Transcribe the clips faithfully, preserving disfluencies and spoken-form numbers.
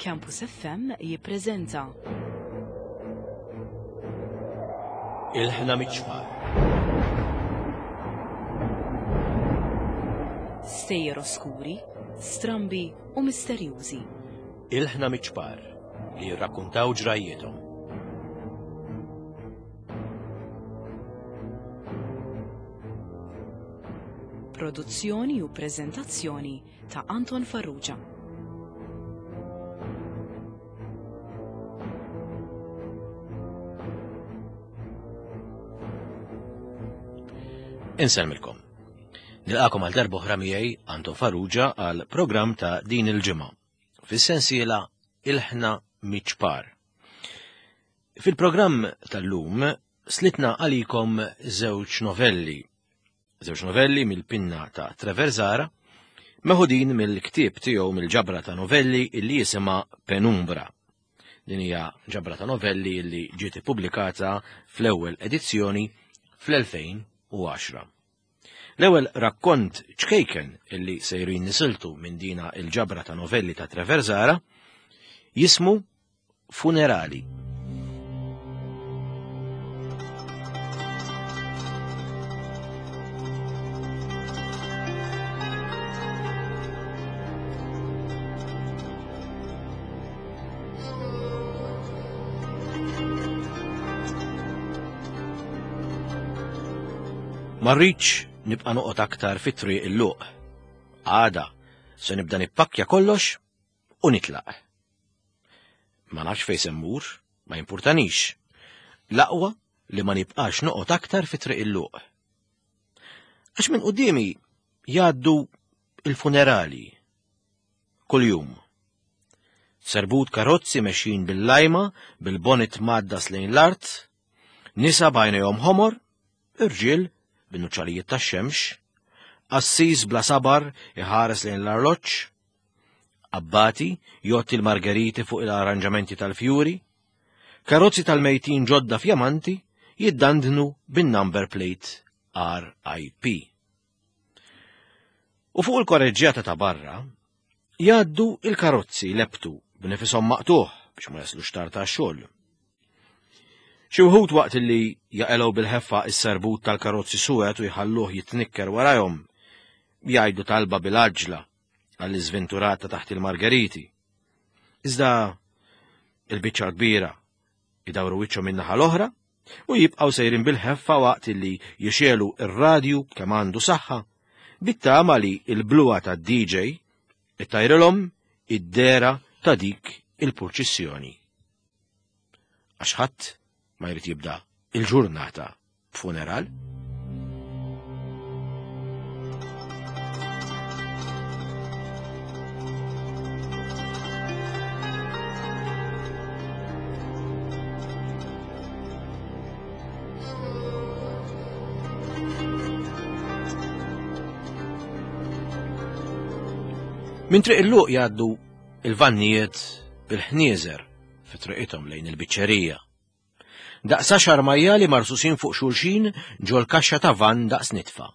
Campus F M jippreżenta Ilħna Miċ-Ċpar. Stejjer oskuri, strambi u misterjużi. Ilħna Miċ-Ċpar li jirrakkuntaw ġrajjietom. Produzzjoni u preżentazzjoni ta' Anton Farrugia. Insellmilkom. Nilqakom għal darba oħra miegħi Anton Farrugia għal programm ta' din il-ġimgħa fis-sensiela Ilħna Miċ-Ċpar. Fil-programm tal-lum slitna għalikom żewġ novelli. Żewġ novelli mill-pinna ta' Trevor Zahra, meħudin mill-ktieb tiegħu mill-ġabra ta' novelli illi jisimha Penumbra. Din hija ġabra ta' novelli illi ġiet ippubblikata fl-ewwel edizzjoni fl-elfejn u għaxra. L-ewwel rakkont ċkejken illi sejrin nisiltu minn dina il-ġabra ta' novelli ta' Trevor Zahra jismu Funerali. Ma rridx nibqa' noqgħod aktar fit-triq il-luq. Għada se nibda nippakkja kollox u nitlaq. Ma nafx fejn se mmur, ma jimpurtanix. L-aqwa li ma nibqax noqgħod aktar fit-triq il-luq. Għax minn quddiemi jgħaddu il-funerali kuljum. Serbut karozzi mexjin bil-lajma, bil-bonnet maddas lejn l-art, nisa b'għajnejhom ħomor, irġiel bin-nuċċalijiet tax-xemx, qassis bla sabar iħares lejn l-arloġġ, abbati jotti l-margeriti fuq il-arranġamenti tal-fjuri, karozzi tal-mejtin ġodda fjamanti jiddandnu bin-number plate R I P. U fuq il-korreġġjata ta' barra jgħaddu il-karozzi leptu b'nifisom maqtuħ biex ma jaslux tard tax-xogħol. Xi wħud waqt li jaqelgħu bil-ħeffa s-serbut tal-karozzi suwed u jħalluh jitnikker warajhom, jgħidu talba bil-għaġla għall-iżventurata taħt il-margeriti. Iżda il-biċċa kbira idawru wiċċhom min-naħa l-oħra u jibqgħu sejrin bil-ħeffa waqt li jixelu r-radju kemm għandu saħħa, bit-tama li l-bluha tad-D J ittajrilhom id-dera ta' dik il-purċissjoni. Għax ħadd ma jrid jibda il-ġurnata b'funeral. Minn triq il-luq jgħaddu il-vannijiet bil-ħnieżer fi triqithom lejn il-biċċerija. Daqs għaxar majjali marsusin fuq xulxin ġol kaxxa ta' van daqs nitfa.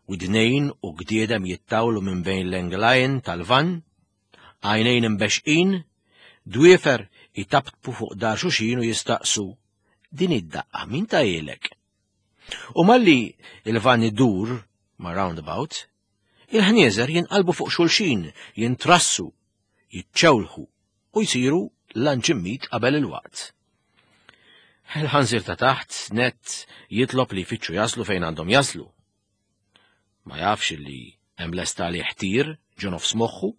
Widnejn u gdiedem jittawlu minn bejn l-englajn tal-van, għajnejn imbexqin, dwiefer jitaptpu fuq dar xulxin u jistaqsu, din id-daqqa min ta' ilek? U malli il-van idur ma' roundabout, il-ħnieżer jinqalbu fuq xulxin, jintrassu, jiċċewlħu u jsiru lanċimmit qabel il-waqt. Il-ħanżir ta' taħt net jitlob li jfittxu jaslu fejn għandhom jaslu. Ma jafx li hemm lesta li ħtir ġo nofs moħħu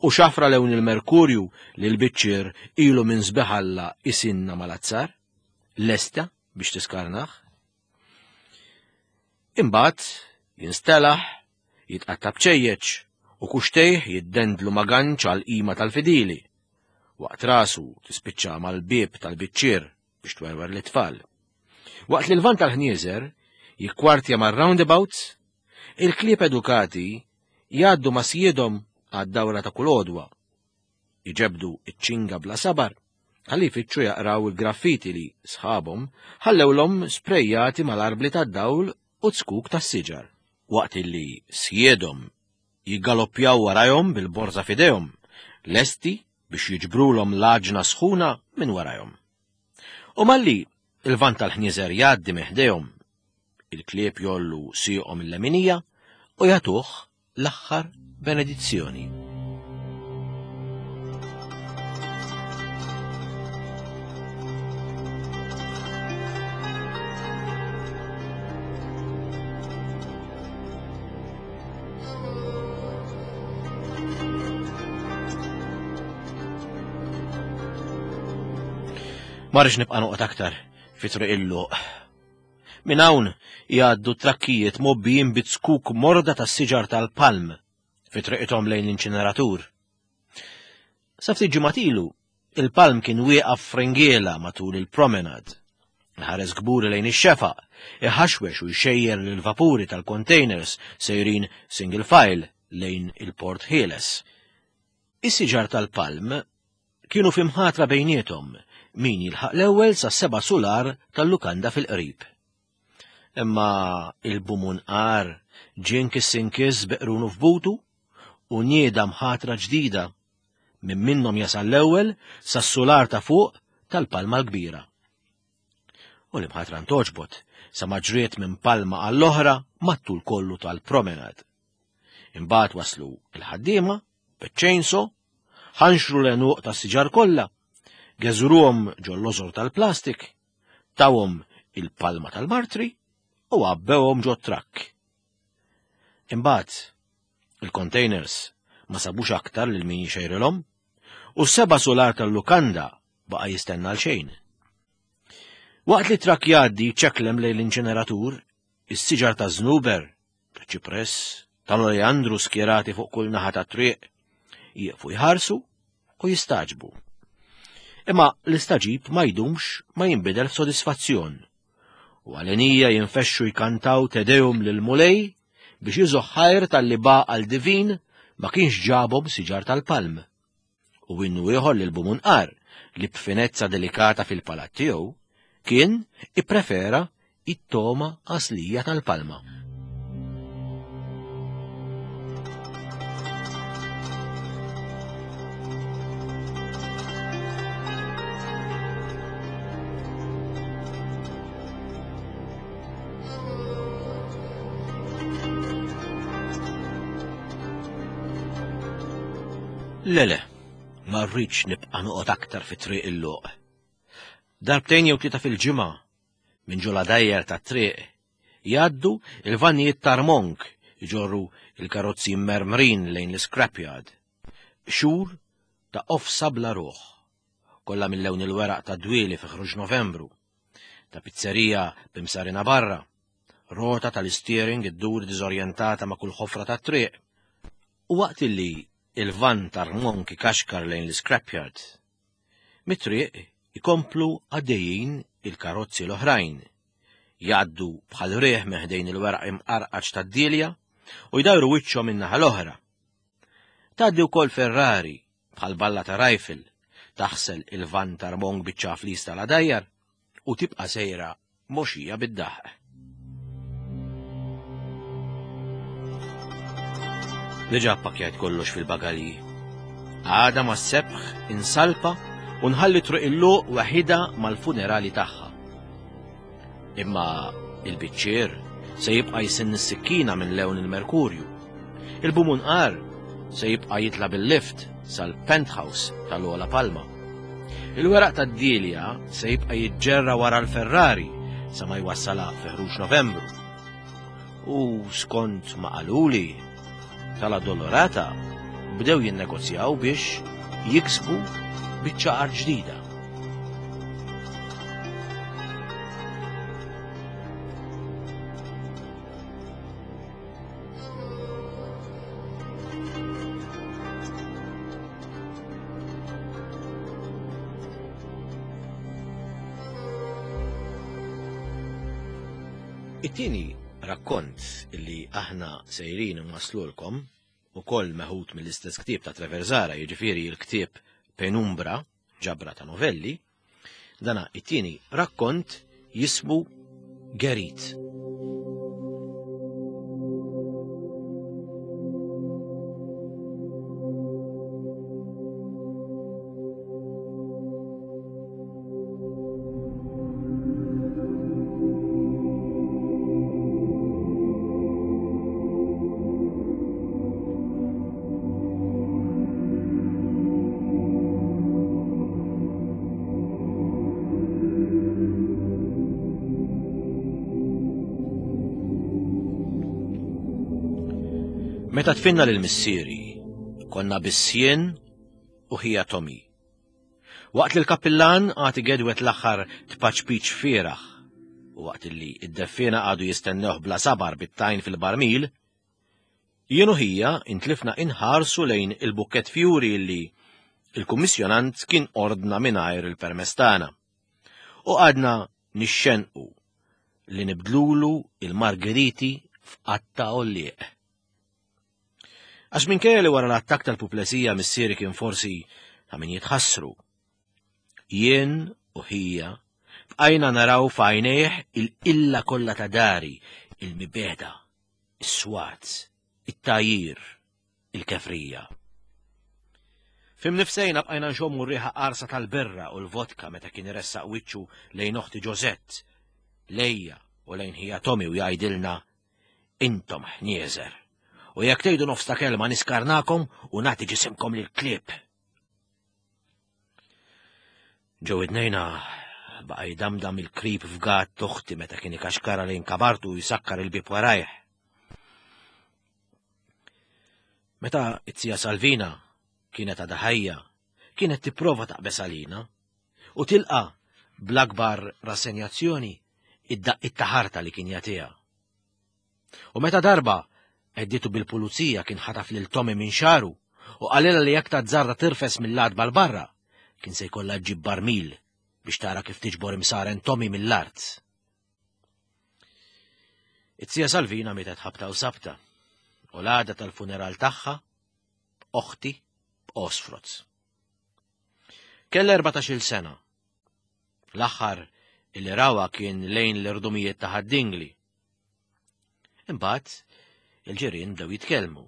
u xafra lewn il-merkurju li l-biċċier ilu minn sbeħalla isinna mal-azzar, lesta biex tiskarnaħ. Imbagħad jinstelaħ, jitqatta' bċejjeċ u kuxtejh jiddendlu ma' ganċ għal qima tal-fidili. Waqt rasu tispiċċa mal-bieb tal-biċċier biex twerwer l-tfal. Waqt li l-van tal-ħnieżer jikkwartja mar-roundabouts, il-klieb edukati jgħaddu ma' sjiedhom għad-dawra ta' kull għodwa. Iġebdu iċ-ċinga bla sabar, ħalli jfittxu jaqraw il-graffiti li sħabhom ħallewlhom sprejjati mal-arbli tad-dawl u zkuk tas-siġar. Waqt illi sjiedhom jiggaloppjaw warajhom bil-borża f'idejhom, lesti biex jiġbrulhom l-għaġna sħuna minn warajhom. U malli il-van tal-ħnieżer jgħaddi minn ħdejhom, il-klieb jollu sieqhom il-leminija u jagħtuh l-aħħar benedizzjoni. Ma rridx nibqa' noqgħod aktar fi Triq il-Luq. Minn hawn jgħaddu trakkijiet mobbijin bi zkuk morda tas-siġar tal-palm fi triqithom lejn l-inċineratur. Sa ftit ġimgħat ilu, il-palm kien wieqaf fringiela matul il-promenade. Ħares kburi lejn ix-xefaq, iħaxwex u jxejjer lill-vapuri tal-containers sejrin single file lejn il-Port Ħieles. Is-siġar tal-palm kienu fi mħatra bejniethom min jilħaq l-ewwel sa seba' sular tal-lukanda fil-qrib. Imma il-bumunqar ġie nkiss inkiss bi qrunu f'butu u nieda mħatra ġdida minn minnhom jasal l-ewwel sas-sular ta' fuq tal-palma l-kbira. U l-imħatra ntoġbot sa ma ġriet minn palma għall-oħra mat-tul kollu tal-promenad. Imbagħad waslu il-ħaddiema biċ-chainsaw, ħanxru l-għenuq tas-siġar kollha, geżruhom ġol-lożor tal-plastik, tawhom il-palma tal-martri u għabbewhom ġo trakk. Imbagħad il-containers ma sabux aktar lil min jxejrilhom u s-seba' sular tal-lukanda baqa' jistenna għal xejn. Waqt li trakk jgħaddi ċeklem lejn l-inċineratur, is-siġar ta' żnuber, ta' ċipress, tal-oleandru skjerati fuq kull naħa ta' triq, jieqfu jħarsu u jistaġbu. Imma l-istaġib ma jdumx ma jinbidel f'sodisfazzjon. U għalenija jinfexxu jkantaw Te Deum lil Mulej biex iżoħħajr tal-li baqa l-divin ma kienx ġabhom siġar tal-palm. U innu ieħor lil bumunqar li b'finezza delikata fil-palat tiegħu kien ipprefera it-toma għaslija tal-palma. Le le, ma rridx nibqa' noqgħod aktar fi Triq il-Luq. Darbtejn jew tlieta fil-ġimgħa minn ġola dajjer tat-triq jgħaddu il-vannijiet tarmonk iġorru il-karozzi mermrin lejn l-scrapyard. Xhur ta' qofsa bla ruħ, kollha mill-lewn il-weraq ta' dwieli fi ħruġ Novembru, ta' pizzerija b'imsarina barra, rota tal-steering iddur diżorjentata ma' kull ħofra tat-triq. U waqt illi il-van tarmonk ikaxkar lejn l-scrapyard, mit-triq ikomplu għaddejjin il-karozzi l-oħrajn, jgħaddu bħal riħ minn ħdejn il-weraq imqarqaċ tad-dilja u jdawru wiċċhom min-naħa l-oħra. Tgħaddi wkoll Ferrari bħal balla ta' rifle, taħsel il-van tarmonk biċ-ċaflis tal-għadajjar u tibqa' sejra moxija bid-daħq. Diġà ppakkjajt kollox fil-bagalji. Għada ma' sebħ insalpa u nħalli Triq il-Luq waħida mal-funerali tagħha. Imma il-biċċier se jibqa' jisinn is-sikkina minn lewn il-Merkurju. Il-bumunqar se jibqa' jitla' bil-lift sal-penthouse tal-Ola Palma. Il-weraq tad-dilja se jibqa' jiġġerra wara l-Ferrari sa ma jwassalha fi ħruġ Novembru. U skont ma qaluli tal-Addolorata bdew jinnegozjaw biex jiksbu biċċa art ġdida. It-tieni rakkont illi aħna sejrin nwaslulkom ukoll meħud mill-istess ktieb ta' Trevor Zahra, jiġifieri l-ktieb Penumbra, ġabra ta' novelli, dana it-tieni rakkont jismu Gerit. Meta tfinna lil missieri, konna bissien u ħija Tommy. Waqt li l-kappillan għati gedwet l-aħħar tpaċpiċ fieraħ, u waqt li id-deffina għadu jistennewh bla sabar bit-tajn fil-barmil, jien u ħija intlifna inħarsu lejn il-bukket fjuri li il-kummissjonant kien ordna mingħajr il-permess tagħna. U għadna nixxenqu li nibdlulu il-margheriti f'qatta għollieq. Għax minkejja li wara l-attakk tal-puplesija missieri kien forsi ta' min jitħassru. Jien u ħija bqajna naraw f'għajnejh il-illa kollha ta' dari, il-mibeda, is-swat, it-tajir, il-kefrija. Fim nifsejna bqajna nxommu r-riħa qarsa tal-birra u l-vodka meta kien iressaq wiċċu lejn oħti Ġosett, lejja u lejn ħija Tommy u jgħidilna intom ħnieżer. U jekk tgħidu nofs ta' kelma niskarnakom u nagħti ġisimkom lill-klieb. Ġew idnejna baqa' jdamdam il-krib f'gat oħti meta kien ikaxkara lejn kabartu u jsakkar il-bieb warajh. Meta it-tija Salvina kienet għadha ħajja, kienet tipprova taqbes għalina u tilqa' bl-akbar rassenjazzjoni id-daqqiet ta' ħarta li kien jagħtiha. U meta darba għedditu bil-pulizija kien ħataf lil Tommy minn xaru u qalilha li jekk tażżarda tirfes mill-għatba l barra kien se jkollha ġġib barmil biex tara kif tiġbor imsaren Tommy mill-art. It-tija Salvina mietet ħabta u sabta u l-għada tal-funeral tagħha oħti b'Osfroz. Kellha erbatax-il sena. L-aħħar illi rawa kien lejn l-irdumijiet ta' Ħad-Dingli. Imbagħad il-ġirien bdew jitkellmu.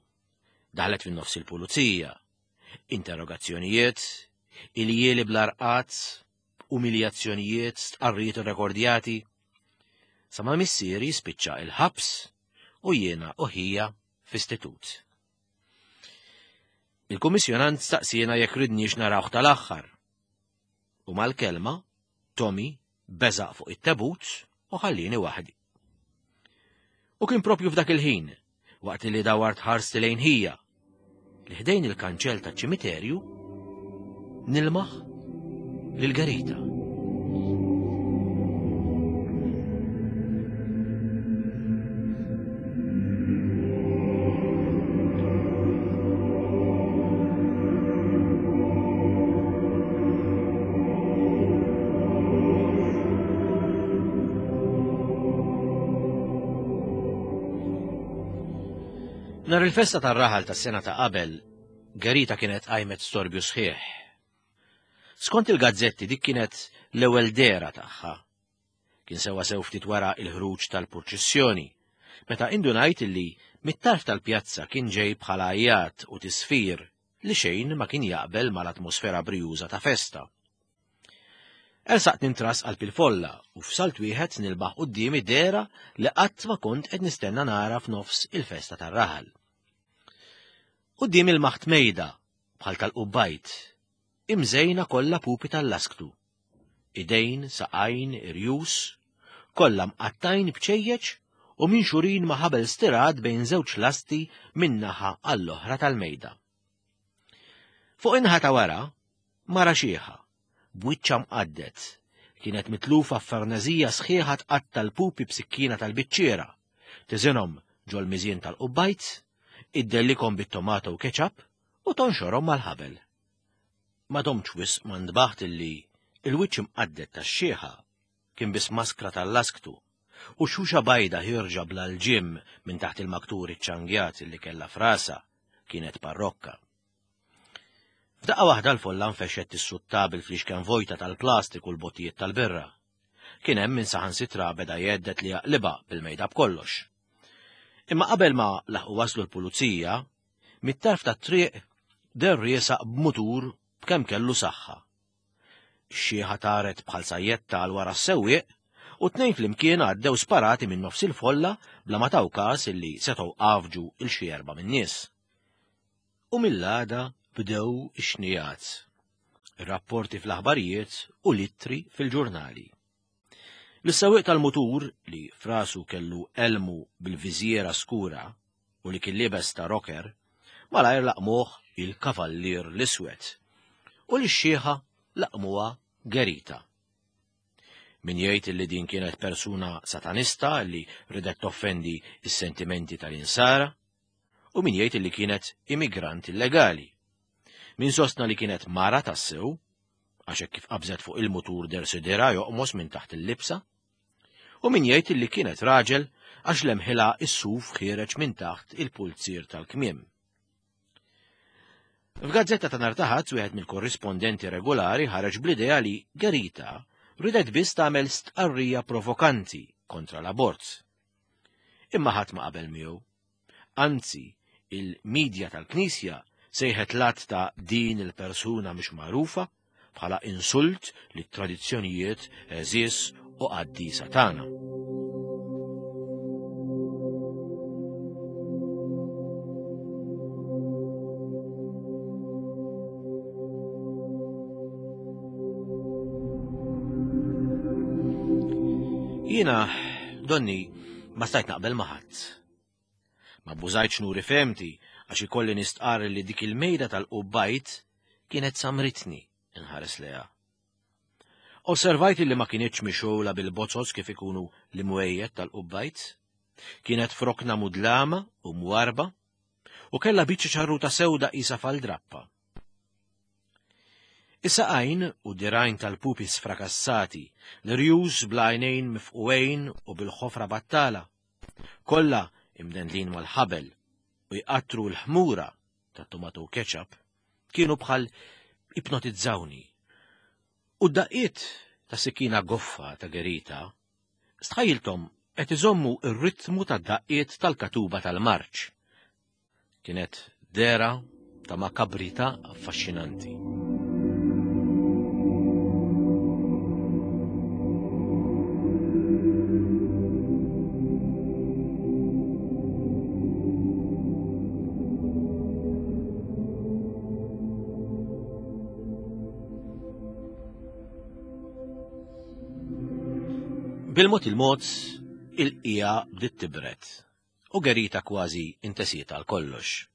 Daħlet fin-nofs il-pulizija, interrogazzjonijiet, iljieli bl-arqat, umiljazzjonijiet, stqarrijiet irrekordjati. Sa ma missieri spiċċa il-ħabs u jiena u ħija f'istitut. Il-kummissjonant staqsiena jekk ridniex narawh tal-aħħar. U mal-kelma, Tommy beżaq fuq it-tebut u ħallini waħdi. U kien propju f'dak il-ħin, waqt li dawart ħarsti lejn ħija, li ħdejn il-kanċell taċ-ċimiterju nilmaħ lil Gerita. Nhar il-festa tar-raħal tas-sena ta' qabel, Gerita kienet qajmet storbju sħiħ. Skont il-gazzetti dik kienet l-ewwel dehra tagħha. Kien sewwa sew ftit wara il-ħruġ tal-purċissjoni, meta indunajt illi mit-tarf tal-pjazza kien ġej bħala għajat u tisfir li xejn ma kien jaqbel mal-atmosfera brijuża ta' festa. Ersaqt nintras qalb il-folla u f'salt wieħed nilbaħ quddiemi dehra li qatt ma kont qed nistenna nara f'nofs il-festa tar-raħal. Quddiem il-maħt mejda bħal tal-qubbajt, imżejna kollha pupi tal-lasktu. Idejn, saqajn, irjus, kollha mqattajn b'ċejjeċ u minxurin ma' ħabel stirat bejn żewġ lasti min-naħa għall-oħra tal-mejda. Fuq in-naħa ta' wara, mara xieħa, b'wiċċha mqaddet, kienet mitlufa f'farneżija sħiħa tqatta l-pupi b'sikkina tal-biċċiera, tiżinhom ġol-miżien tal-qubbajt, iddellikhom bit-tomato u ketchup u tonxorhom mal-ħabel. Ma domtx wisq ma ndbaħt illi il-wiċċ imqaddet tax-xieħa kien biss maskra tal-lasktu u xuxa bajda ħirġa bla l-ġim minn taħt il-maktur iċ-ċangjat illi kellha frasa kienet parrokka. F'daqqa waħda l-folla nfexxet tissutta bil-flixken vojta tal-plastik u l-bottijiet tal-birra. Kien hemm min saħansitra beda jgħeddet li jaqlibha bil-mejda b'kollox. Imma qabel ma laħqu waslu l-pulizija, mit-tarf tat-triq der riesaq b'mutur b'kemm kellu saħħa. Ix-xieħa taret bħal sajjetta għal wara s-sewwieq u tnejn flimkien għaddew sparati minn nofs il-folla bla ma taw każ illi setgħu qafġu il xi erba' min-nies. U mill-għada bdew ix-xnijat, ir-rapporti fl-aħbarijiet u l-ittri fil-ġurnali. L-sewwieq tal-mutur li frasu kellu elmu bil-viżiera skura u li kien liebes ta' rocker, malajr laqmuh il-Kavallier l-Iswed u li x-xieħa laqmuha Gerita. Min jgħid li din kienet persuna satanista li ridet toffendi is-sentimenti tal-insara, u min jgħid li kienet immigrant illegali. Min sostna li kienet mara tassew, għax hekk kif qabżet fuq il-mutur dersidera joqmos minn taħt il-libsa, u min jgħid li kienet raġel għax lemħilha is-suf ħiereġ minn taħt il-pulzier tal-kmiem. F'gazzetta ta' nhar ta' Ħadd wieħed mill-korrispondenti regolari ħareġ bl-idea li Gerita ridet biss tagħmel stqarrija provokanti kontra l-abort. Imma ħadd ma qabel miegħu. Anzi, il-medja tal-Knisja sejħet lat ta' din il-persuna mhux magħrufa bħala insult lit tradizzjonijiet għeżież u qaddisa tagħna. Jiena, donni, ma stajt naqbel ma' ħadd. Ma bbużajtx nuri fehmti għax ikolli nistqarr li dik il-mejda tal-qubbajt kienet samritni inħares leha. Osservajt li ma kienitx mixgħula bil-bozzos kif ikunu l-imwejjed tal-qubbajt. Kienet frokna mudlama u mwarba u kellha biċċa ċarruta sewda qisha fal-drappa. Is-saqajn u dirajn tal-pupi sfrakassati, l-rjus bl-għajnejn mifqugħin u bil-ħofra battala, kollha imdendlin mal-ħabel u jqattru l-ħmura tat-tomato ketchup, kienu bħal ipnotizzawni. U d-daqqiet ta' sikkina goffa ta' Gerita stħajilthom qed iżommu r-ritmu tad-daqqiet tal-katuba tal-marċ. Kienet dera ta' makabrità affaxxinanti. Bil-mod il-mod, il-qija bdiet tibret u Gerita kważi intesiet għal kollox.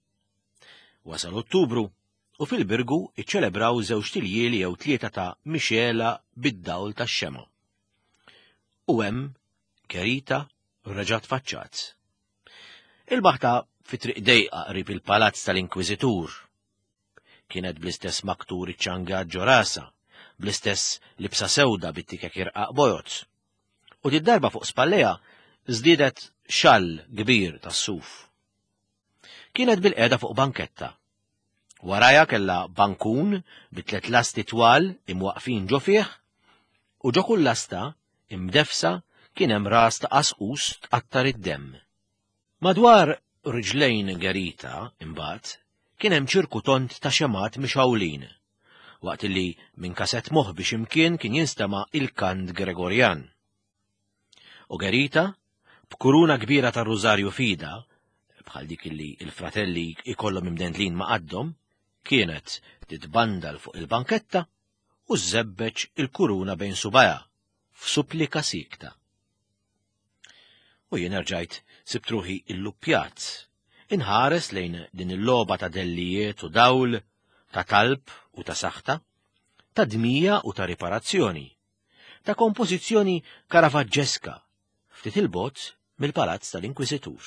Wasal Ottubru u fil-Birgu iċċelebraw żewġ tiljieli jew tlieta ta' mixela bid-dawl tax-xema. U hemm Gerita reġgħet faċċat. Il-baħta fi triq dejqa qrib il-palazz tal-Inkwiżitur. Kienet bl-istess maktur iċ-ċanga ġo rasha, bl-istess libsa sewda bit-tikek irqaq bojod. U did-darba fuq spalleja żdiedet xall kbir tas-suf. Kienet bil-qiegħda fuq banketta. Waraja kellha bankun bi tliet lasti twal imwaqfin ġo fih u ġo kull lasta imdefsa kien hemm ras ta' qasqus tqattar id-demm. Madwar riġlejn Gerita imbagħad kien hemm ċirku tont ta' xemat mixgħulin, waqt li minn kasett moħbi x'imkien kien jinstema' il-kant Gregorjan. U Gerita, b'kuruna kbira tar-rużarju fida, bħal dik li il-fratelli ikollhom imdendlin ma' qaddhom, kienet titbandal fuq il-banketta u żebbeġ il-kuruna bejn subajha f'supplika sikta. U jien erġajt sibt ruħi illuppjat, inħares lejn din il-logħba ta' dellijiet u dawl, ta' talb u ta' saħta, ta' dmija u ta' riparazzjoni, ta' kompożizzjoni karavaġġeska ftit il-bogħod mill-palazz tal-Inkwiżitur.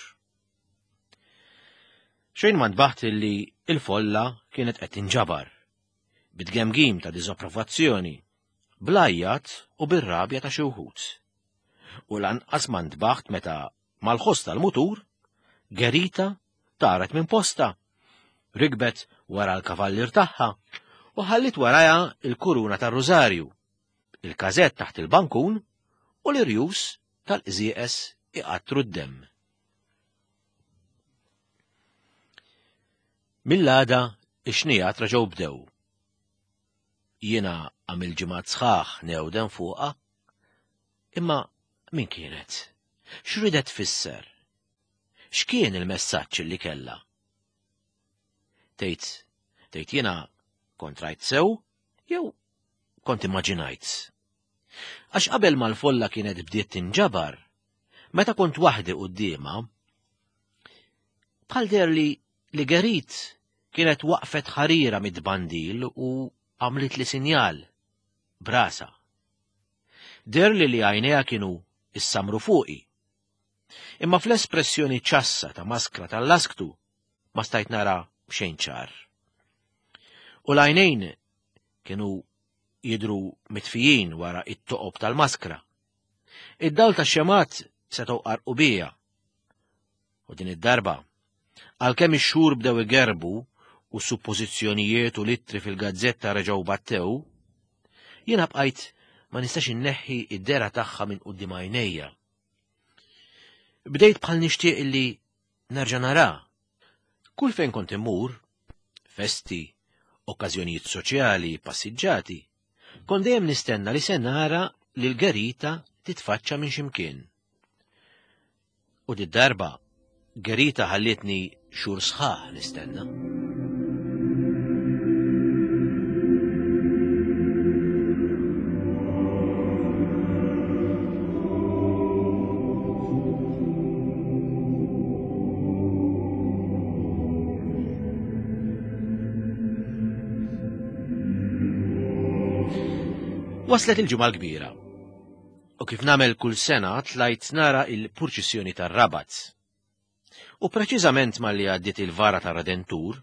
Xejn ma ntbaħt illi il-folla kienet qed tinġabar, bit-tgemgim ta' diżapprovazzjoni, bl-għajjat u bir-rabja ta' xi wħud. U lanqas ma ntbaħt meta mal-ħoss tal-mutur, Gerita taret minn posta, rikbet wara l-kavallier tagħha u ħallit warajha il-kuruna tar-rużarju, il-każett taħt il-bankun u l-irjus tal-qżieqes iqattru d-demm. Mill-għada ix-xnijat reġgħu bdew. Jiena għamil ġimgħat sħaħ newden fuqha, imma min kienet? X'ridet tfisser? X'kien il-messaġġ li kellha? Tgħid, tgħid jiena kont rajt sew jew kont immaġinajt? Għax qabel ma l-folla kienet bdiet tinġabar, meta kont waħdi quddiemha, Bħal deher li li Gerit kienet waqfet ħarira mid-bandil u għamlit li sinjal brasa. Deher li li għajnejha kienu issamru fuqi. Imma fl-espressjoni ċassa ta' maskra tal-lasktu ma stajt nara xejn ċar. U l-għajnejn kienu jidru mitfijin wara it-toqob tal-maskra. Id-dawl tax-xemat setgħu qarqu bija. U din id-darba, għalkemm ix-xhur bdew igerbu u suppożizzjonijiet u littri fil-gazzetta reġgħu battew, jiena bqajt ma nistax inneħħi id-dera tagħha minn quddiem għajnejja. Bdejt bħal nixtieq illi nerġa' nara. Kull fejn kont immur, festi, okkażjonijiet soċjali, passiġġati, kont dejjem nistenna li se nara lil Gerita titfaċċa minn ximkien. U did-darba Gerita ħallietni xhur sħaħ nistenna. Waslet il-ġimgħa l-kbira. U kif nagħmel kull sena tlajt nara il-purċissjoni tar-Rabat. U preċiżament malli għaddiet il-vara tar-Redentur,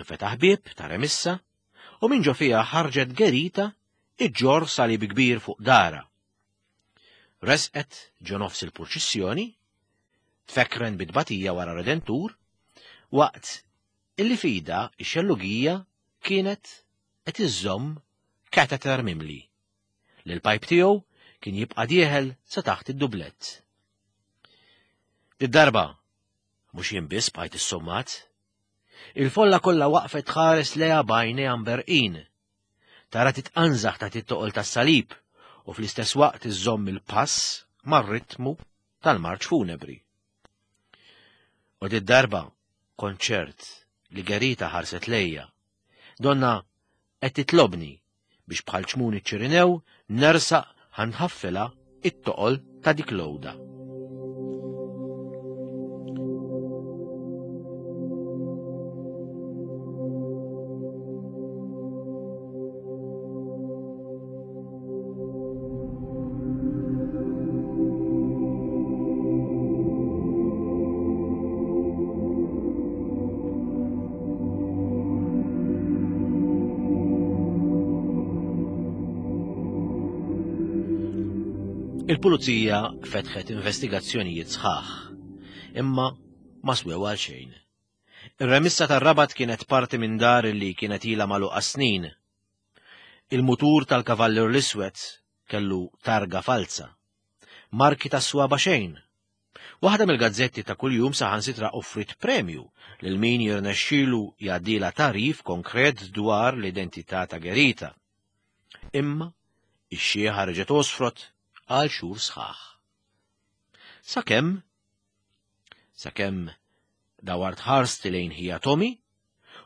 infetaħ bieb ta' remissa u minn ġo fiha ħarġet Gerita iġġor salib kbir fuq dara. Resqet ġo nofs il-purċissjoni, tfekren bit-tbatija wara Redentur, waqt illi fida ix-xellugija kienet qed iżżomm kateter mimli, li l-pajp tiegħu kien jibqa' dieħel sa taħt id-dublett. Id-darba mhux jien biss bqajt issommat. Il-folla kollha waqfet tħares lejha b'għajnejha mberqin. Tara titqanżaħ taħt it-toqol tas-salib u fl-istess waqt iżżomm il-pass mar-ritmu tal-marċ funebri. U did-darba kont ċert li Gerita ħarset lejja. Donna qed titlobni biex bħal ċmuni ċirinew nersaq ħanħaffilha it-toqol ta' dik l-għoda. Il-pulizija fetħet investigazzjonijiet sħaħ, imma ma swew għal xejn. Ir-remissa tar-Rabat kienet parti minn dar li kienet ilha magħluqa snin. Il-mutur tal-Kavallier l-Iswed kellu targa falsa, marki ta' swaba xejn. Waħda mill-gazzetti ta' kuljum saħansitra offrit premju lil min jirnexxielu jgħaddilha tagħrif konkret dwar l-identità ta' Gerita. Imma ix-xieħa reġgħet osfrot għal xhur sħaħ. Sakemm, sakemm dawart ħarsti lejn ħija Tommy,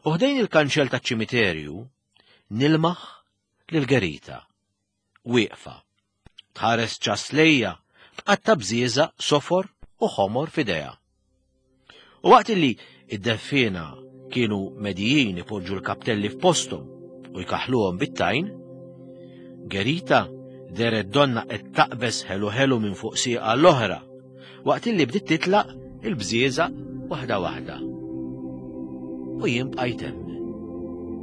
u ħdejn il-kanċell taċ-ċimiterju nilmaħ lil Gerita, wieqfa, tħares ċas lejja, tqatta' bżieżaq sofor u ħomor f'idejha. U waqt illi id-deffina kienu medijin ipoġġu l-kaptelli f'posthom u jkaħluhom bit-tajn, Gerita deret donna qed taqbeż ħelu ħelu minn fuq sieqa l-oħra, waqt illi bdiet titlaq il-bżieżaq waħda waħda. U jien bqajt hemm.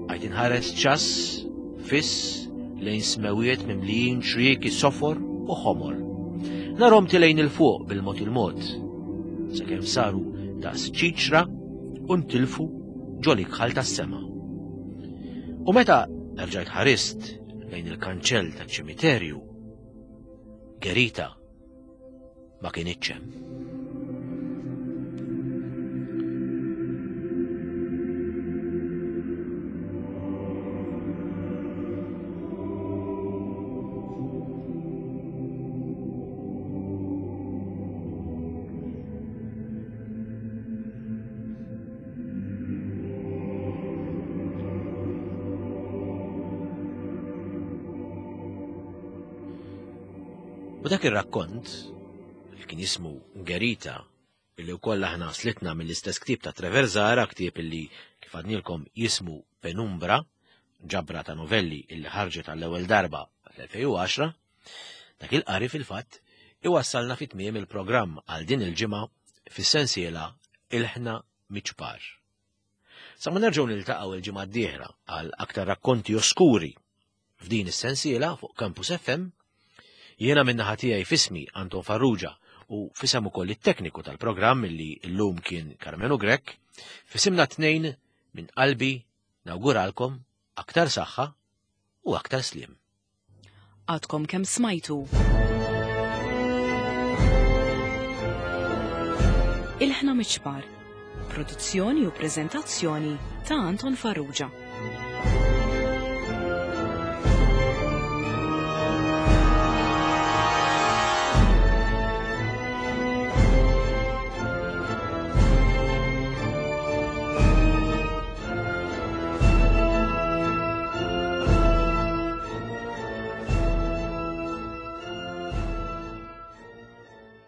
Bqajt inħares ċass fiss lejn smewiet mimlijin ċrieki sofor u ħomor. Narhom tilejn il-fuq bil-mod il-mod, sakemm saru daqs ċiċra u ntilfu ġol ikħal tas-sema. U meta erġajt ħarist lejn il-kanċell taċ-ċimiterju, Gerita ma kinitx hemm. U dak ir-rakkont, li kien jismu Gerita, illi wkoll aħna slitna mill-istess ktieb ta' Trevor Zahra, ktieb illi kif għadnilkom jismu Penumbra, ġabra ta' novelli illi ħarġet għall-ewwel darba fl-elfejn u għaxra, dak il-qari fil-fatt iwassalna fi tmiem il-programm għal din il-ġimgħa fis-sensiela Ilħna Miċpar. Sa ma nerġgħu niltaqgħu il-ġimgħa d-dieħla għal aktar rakkonti oskuri f'din is-sensiela fuq Campus F M, jiena min-naħa tiegħi fismi Anton Farrugia u fisem ukoll it-tekniku tal-programm illi llum kien Karmenu Grech, fisimna tnejn minn qalbi nawguralkom aktar saħħa u aktar sliem. Għadkom kemm smajtu. Ilħna Miċpar, produzzjoni u preżentazzjoni ta' Anton Farrugia.